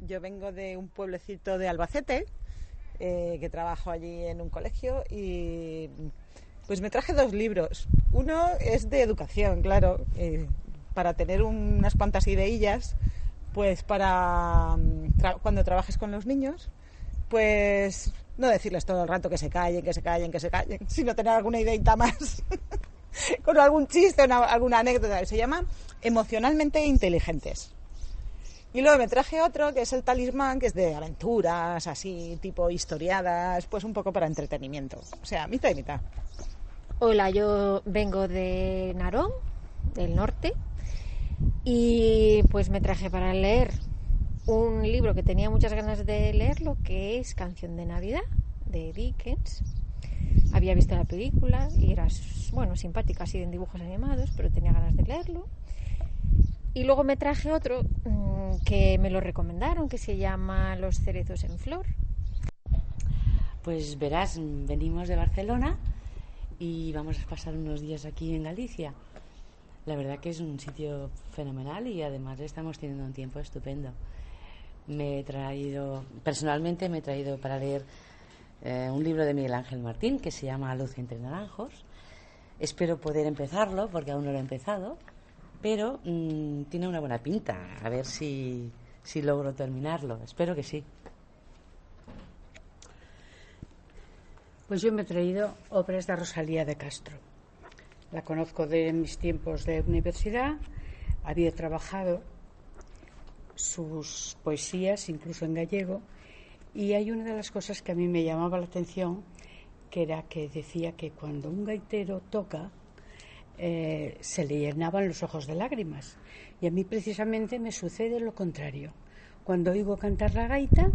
yo vengo de un pueblecito de Albacete, que trabajo allí en un colegio, y pues me traje 2 libros. Uno es de educación, claro, para tener unas cuantas ideillas, pues para cuando trabajes con los niños, pues no decirles todo el rato que se callen, sino tener alguna ideita más con algún chiste, alguna anécdota. Se llama Emocionalmente Inteligentes. Y luego me traje otro que es El Talismán, que es de aventuras, así, tipo historiadas, pues un poco para entretenimiento. O sea, mitad y mitad. Hola, yo vengo de Narón, del norte, y pues me traje para leer un libro que tenía muchas ganas de leerlo, que es Canción de Navidad, de Dickens. Había visto la película y era, bueno, simpática, así en dibujos animados, pero tenía ganas de leerlo. Y luego me traje otro que me lo recomendaron, que se llama Los cerezos en flor. Pues verás, venimos de Barcelona y vamos a pasar unos días aquí en Galicia. La verdad que es un sitio fenomenal y además estamos teniendo un tiempo estupendo. Personalmente me he traído para leer un libro de Miguel Ángel Martín que se llama Luz entre naranjos. Espero poder empezarlo porque aún no lo he empezado, pero tiene una buena pinta. A ver si logro terminarlo. Espero que sí. Pues yo me he traído obras de Rosalía de Castro. La conozco de mis tiempos de universidad. Había trabajado sus poesías, incluso en gallego, y hay una de las cosas que a mí me llamaba la atención, que era que decía que cuando un gaitero toca, se le llenaban los ojos de lágrimas. Y a mí precisamente me sucede lo contrario. Cuando oigo cantar la gaita,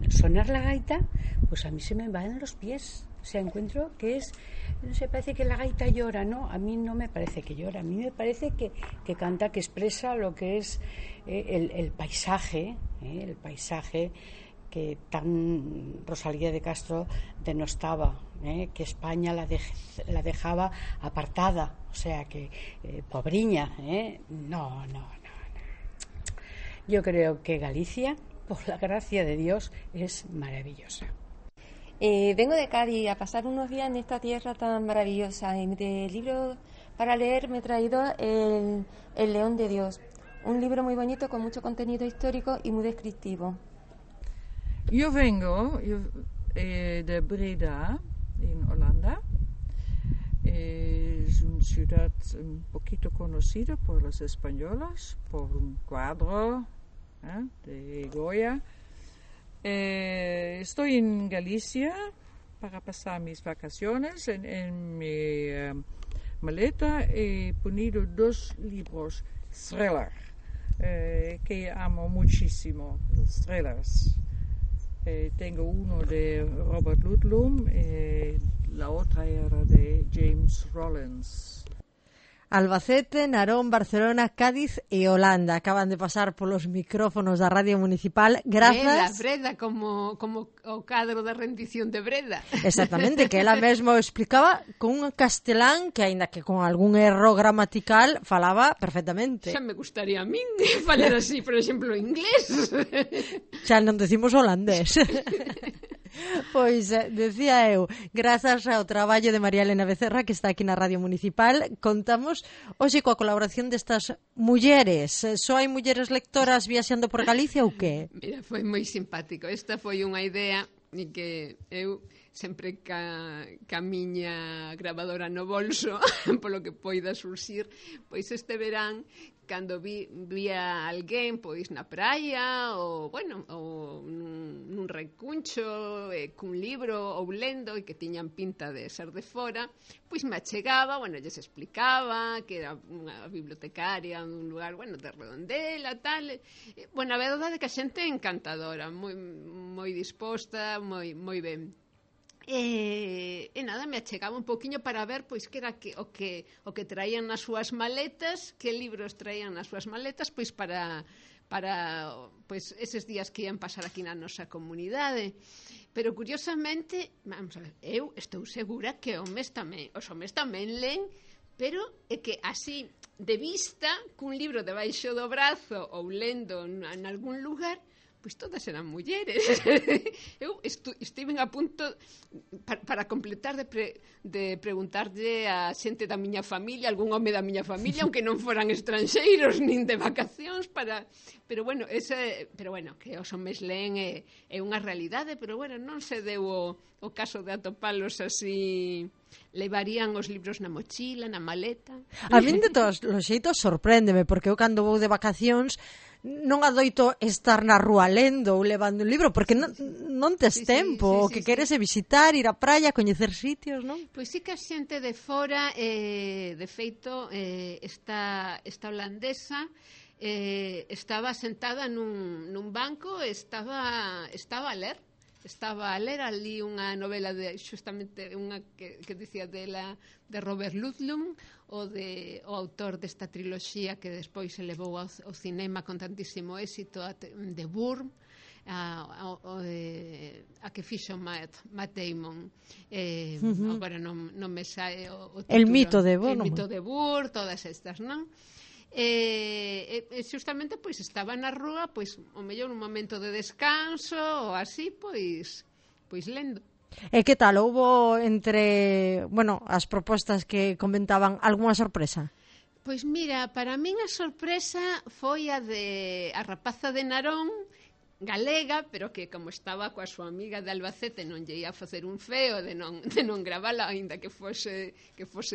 sonar la gaita, pues a mí se me van los pies. O sea, encuentro que no sé, parece que la gaita llora, ¿no? A mí no me parece que llora, a mí me parece que canta, que expresa lo que es el paisaje que tan Rosalía de Castro denostaba, que España la dejaba apartada, o sea, que pobriña, no. Yo creo que Galicia, por la gracia de Dios, es maravillosa. Vengo de Cádiz a pasar unos días en esta tierra tan maravillosa. Y de libro para leer me he traído el León de Dios, un libro muy bonito con mucho contenido histórico y muy descriptivo. Yo vengo de Breda, en Holanda. Es una ciudad un poquito conocida por los españoles, por un cuadro de Goya. Estoy en Galicia para pasar mis vacaciones. En mi maleta he ponido 2 libros thriller que amo muchísimo, los thrillers. Tengo uno de Robert Ludlum, la otra era de James Rollins. Albacete, Narón, Barcelona, Cádiz e Holanda acaban de pasar polos micrófonos da Radio Municipal. Grazas. Breda, como o cadro da rendición de Breda. Exactamente, que ela mesmo explicaba con un castelán que, aínda que con algún erro gramatical, falaba perfectamente. Xa me gustaría a min falar así, por exemplo, inglés. Xa non decimos holandés. Pois, decía eu, grazas ao traballo de María Elena Becerra, que está aquí na Radio Municipal, contamos hoxe coa colaboración destas mulleres. Só hai mulleres lectoras viaxando por Galicia ou que? Mira, foi moi simpático. Esta foi unha idea e que eu sempre ca miña grabadora no bolso, polo que poida surxir, pois este verán, cando vía alguén pois na praia ou nun recuncho cun libro ou lendo e que tiñan pinta de ser de fora, pois me achegaba, lles explicaba que era unha bibliotecaria dun lugar, de Redondela, tal. A verdade é que a xente é encantadora, moi disposta, moi ben. E nada, me achegaba un poquinho para ver pois que era o que traían nas súas maletas, que libros traían nas súas maletas, pois para pois eses días que ian pasar aquí na nosa comunidade. Pero curiosamente, vamos a ver, eu estou segura que os homes tamén len, pero é que así de vista, cun libro debaixo do brazo ou lendo en algún lugar, pois todas eran mulleres. Eu estiven a punto para completar de preguntarlle a xente da miña familia, algún home da miña familia, aunque non foran estranxeiros nin de vacacións, pero bueno, que os homes leen é unha realidade, pero bueno, non se deu o caso de atopalos así. Levarían os libros na mochila, na maleta. A min de todos os xeitos sorpréndeme, porque eu cando vou de vacacións non adoito estar na rúa lendo ou levando un libro, porque non tes tempo, o que queres é visitar, ir á praia, coñecer sitios, non? Pois sí que a xente de fora, de feito, esta holandesa estaba sentada nun banco, estaba a ler. Estaba a ler ali unha novela de xustamente unha que dicía de Robert Ludlum, o autor desta triloxía que despois se levou ao cinema con tantísimo éxito, de Burr, a que fixo Matt Damon. Agora non me sae o título. El mito de Burr. El mito de Burr, todas estas, non? Xustamente pois estaba na rúa, pois o mellor un momento de descanso ou así, pois lendo. E que tal, houbo entre, as propostas que comentaban algunha sorpresa? Pois mira, para min a sorpresa foi a rapaza de Narón, galega, pero que como estaba coa súa amiga de Albacete non lle ia facer un feo de non gravala, aínda que fose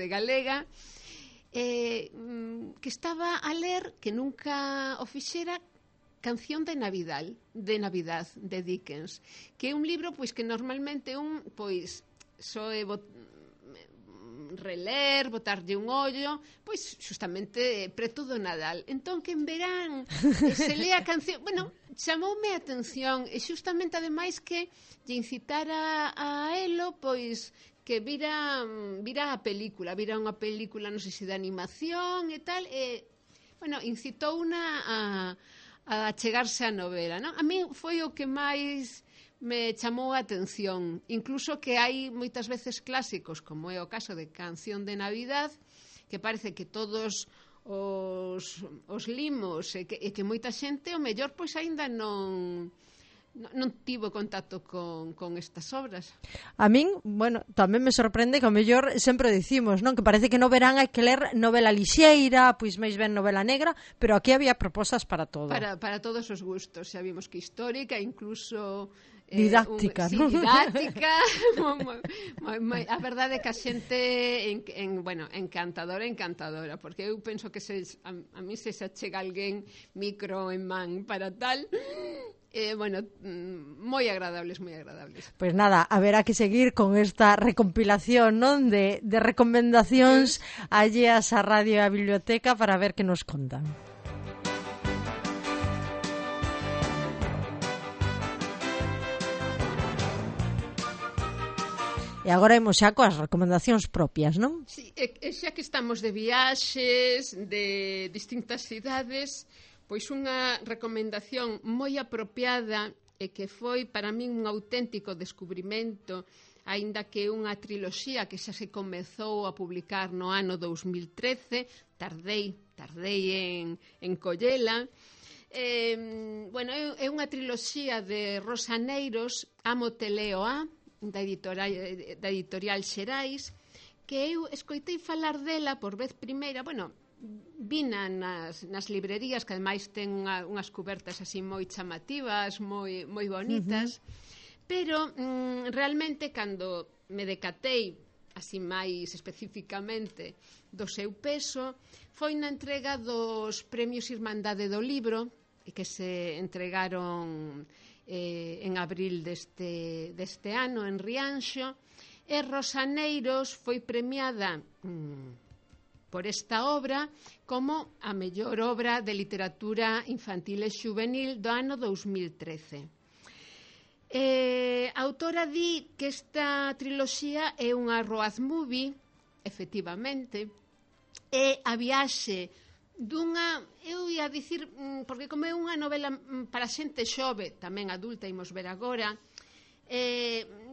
galega. Que estaba a ler, que nunca o fixera, Canción de Navidad de Dickens, que é un libro pois que normalmente soe reler, botarlle un ollo, pois xustamente preto do Nadal. Entón que en verán se lea a canción, chamoume a atención, e xustamente ademais que lle incitara a elo, pois que vira unha película, non sei se de animación e tal, incitou a chegarse á novela, non? A min foi o que máis me chamou a atención, incluso que hai moitas veces clásicos, como é o caso de Canción de Navidad, que parece que todos os limos e que moita xente, o mellor, pois aínda non tivo contacto con estas obras. A min, tamén me sorprende que ao mellor sempre dicimos, non? Que parece que no verán hai que ler novela lixeira, pois máis ben novela negra, pero aquí había propostas para todo. Para todos os gustos, xa vimos que histórica, incluso didáctica, non? Didáctica. A verdade é que a xente encantadora, porque eu penso que a mí se chega alguén micro en man para tal, moi agradables. Pois nada, haberá que seguir con esta recompilación, non, de recomendacións alleas á radio e á biblioteca para ver que nos contan. E agora imos xa coas recomendacións propias, non? Sí, xa que estamos de viaxes, de distintas cidades, pois unha recomendación moi apropiada e que foi para min un auténtico descubrimento, aínda que unha triloxía que xa se comezou a publicar no ano 2013, tardei en collela. É unha triloxía de Rosa Neiros, Amo te leo a, da editorial Xerais, que eu escoitei falar dela por vez primeira, vina nas librerías, que ademais ten unhas cubertas así moi chamativas, moi bonitas, pero realmente cando me decatei así máis especificamente do seu peso foi na entrega dos premios Irmandade do Libro, que se entregaron en abril deste ano en Rianxo, e Rosa Neiros foi premiada por esta obra como a mellor obra de literatura infantil e xuvenil do ano 2013. A autora di que esta triloxía é unha road movie, efectivamente, é a viaxe dunha, eu ia dicir, porque como é unha novela para xente xove, tamén adulta, imos ver agora,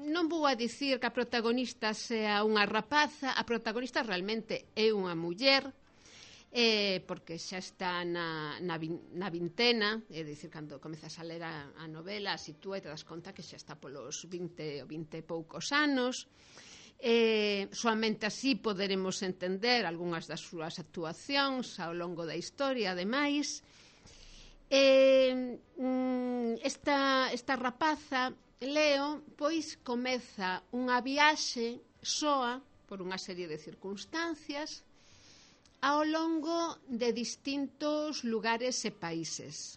non vou a dicir que a protagonista sea unha rapaza, a protagonista realmente é unha muller, porque xa está na vintena, é dicir, cando comezas a ler a novela, a sitúa e te das conta que xa está polos 20 ou 20 e poucos anos. Soamente así poderemos entender algunhas das súas actuacións ao longo da historia. Ademais, esta rapaza, Leo, pois comeza unha viaxe soa por unha serie de circunstancias ao longo de distintos lugares e países.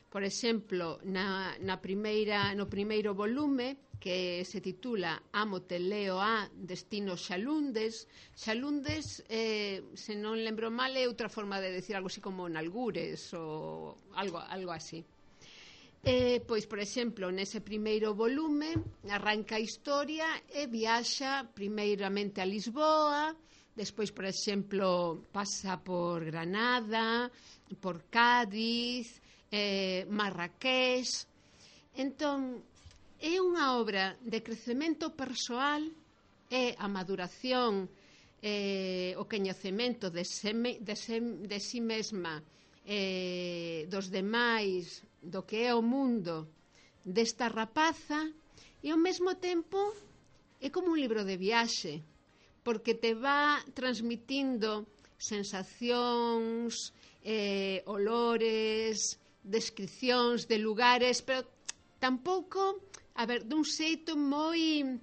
Por exemplo, no primeiro volume, que se titula Ámote Leo a Destino Xalundes. Xalundes, se non lembro mal, é outra forma de decir algo así como nalgures ou algo así. Pois, por exemplo, nese primeiro volume arranca a historia e viaxa primeiramente a Lisboa, despois, por exemplo, pasa por Granada, por Cádiz, Marrakech. Entón, é unha obra de crecemento persoal, é a maduración, o coñecemento de si mesma, dos demais, do que é o mundo desta rapaza, e ao mesmo tempo é como un libro de viaxe, porque te va transmitindo sensacións, olores, descripcións de lugares, pero tampouco, dun xeito moi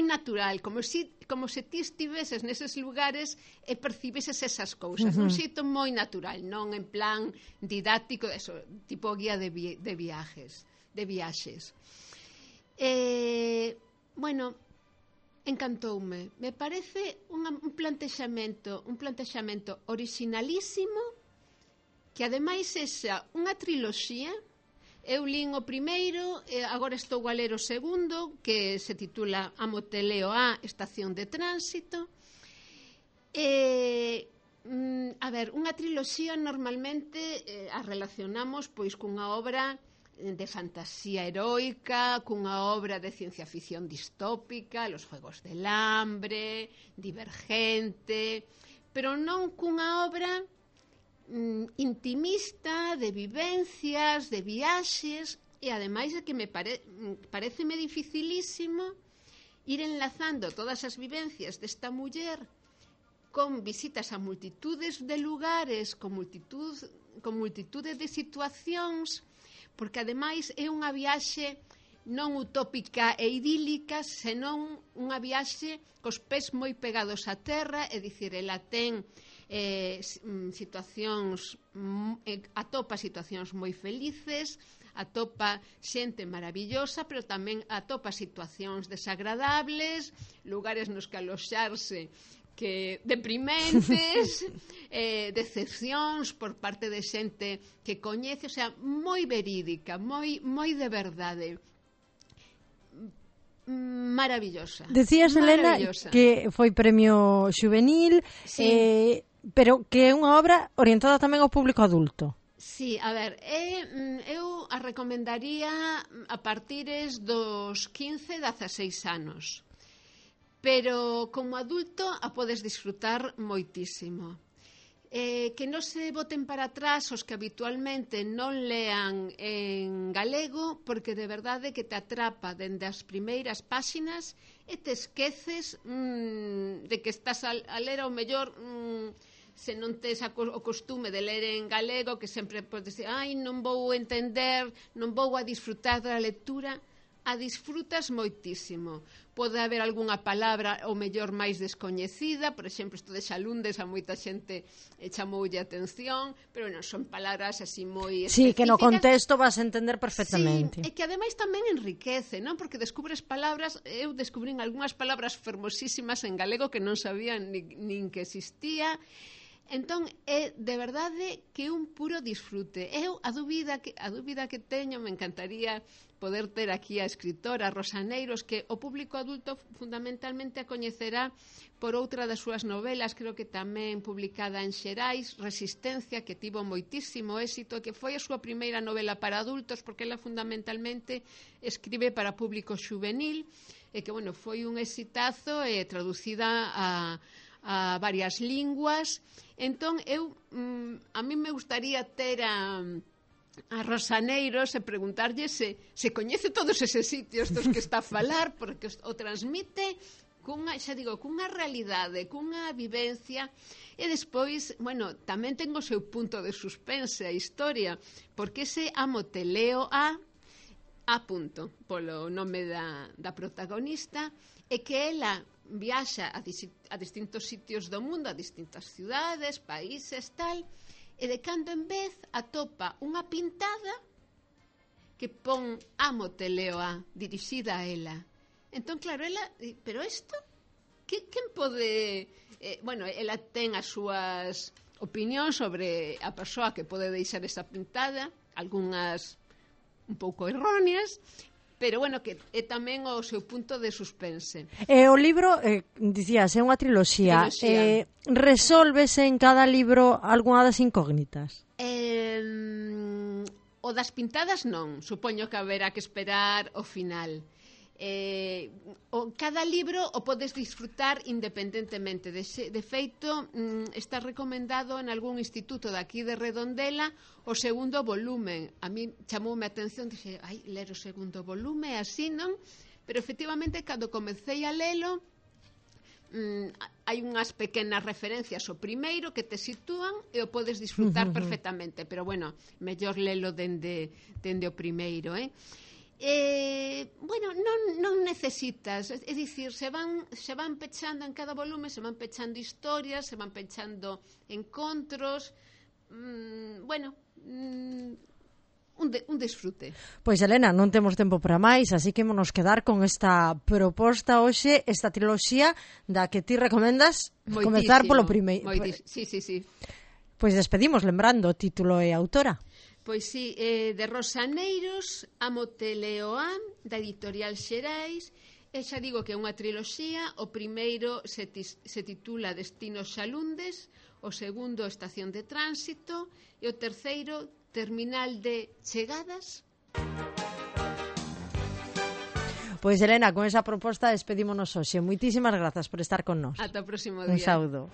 natural, como se ti estiveses neses lugares e percibeses esas cousas, dun xeito moi natural, non en plan didáctico, tipo guía de viaxes. Bueno, encantoume. Me parece un plantexamento orixinalísimo, que ademais sexa unha triloxía. Eu lín o primeiro, agora estou a ler o segundo, que se titula Ámote Leo a Estación de Tránsito. Unha triloxía normalmente a relacionamos pois cunha obra de fantasía heroica, cunha obra de ciencia ficción distópica, Los Juegos del Hambre, Divergente, pero non cunha obra intimista, de vivencias, de viaxes, e ademais é que pareceme dificilísimo ir enlazando todas as vivencias desta muller con visitas a multitudes de lugares, con multitude de situacións, porque ademais é unha viaxe non utópica e idílica, senón unha viaxe cos pés moi pegados á terra, é dicir, ela ten atopa situacións moi felices, atopa xente maravillosa, pero tamén atopa situacións desagradables, lugares nos que aloxarse que deprimentes, decepcións por parte de xente que coñece, o sea, moi verídica, moi de verdade. Maravillosa. Decías, Elena, que foi premio xuvenil, sí. Pero que é unha obra orientada tamén ao público adulto. Sí, a ver, eu a recomendaría a partires dos 15-16 anos, pero como adulto a podes disfrutar moitísimo. Que non se boten para atrás os que habitualmente non lean en galego, porque de verdade que te atrapa dende as primeiras páxinas e te esqueces de que estás a ler ao mellor, se non tes o costume de ler en galego, que sempre podes dizer, non vou entender, non vou a disfrutar da lectura. A disfrutas moitísimo. Pode haber algunha palabra ou mellor máis descoñecida, por exemplo, isto de xalundes a moita xente chamoulle atención, pero non son palabras así moi específicas. Sí, que no contexto vas a entender perfectamente. Sí, e que ademais tamén enriquece, non? Porque descubres palabras, eu descubrín algunhas palabras fermosísimas en galego que non sabía nin que existía. Entón, é de verdade que un puro disfrute. Eu, a dúbida que teño, me encantaría poder ter aquí a escritora Rosa Neiros, que o público adulto fundamentalmente a coñecerá por outra das súas novelas, creo que tamén publicada en Xerais, Resistencia, que tivo moitísimo éxito, que foi a súa primeira novela para adultos, porque ela fundamentalmente escribe para público xuvenil, e que, bueno, foi un exitazo, traducida a varias linguas. Entón, a mí me gustaría ter a Rosa Neiros e preguntarlle se coñece todos eses sitios dos que está a falar, porque o transmite cunha realidade, cunha vivencia, e despois, bueno, tamén ten o seu punto de suspense a historia, porque ese amo te leo a punto, polo nome da protagonista, e que ela viaxa a distintos sitios do mundo, a distintas ciudades, países, tal, e de cando en vez atopa unha pintada que pon amo te leo a, dirixida a ela. Entón, claro, ela, pero isto, quen pode... bueno, ela ten as súas opinións sobre a persoa que pode deixar esa pintada, algunhas un pouco erróneas, pero, bueno, que é tamén o seu punto de suspense. O libro, dicías, é unha triloxía. Resólvese en cada libro algunha das incógnitas? O das pintadas non, supoño que haberá que esperar o final. Cada libro o podes disfrutar independentemente. De feito, está recomendado en algún instituto daqui de Redondela o segundo volumen. A mí chamoume a atención, dixe, ler o segundo volume, así, non? Pero efectivamente, cando comecei a lelo, hai unhas pequenas referencias ao primeiro que te sitúan e o podes disfrutar perfectamente, pero, bueno, mellor lelo dende o primeiro, bueno, non necesitas, é dicir, se van pechando en cada volume, se van pechando historias, se van pechando encontros, bueno, un disfrute. Pois, Elena, non temos tempo para máis, así que nos quedar con esta proposta hoxe, esta triloxía da que ti recomendas comezar polo primeiro. Sí. Pois despedimos lembrando o título e autora. Pois sí, de Rosa Neiros, Amo te leo a, da editorial Xerais, e xa digo que é unha triloxía. O primeiro se titula Destinos Xalundes, o segundo Estación de Tránsito e o terceiro Terminal de Chegadas. Pois, Elena, con esa proposta despedímonos hoxe. Moitísimas grazas por estar con nós. Ata o próximo día. Un saúdo.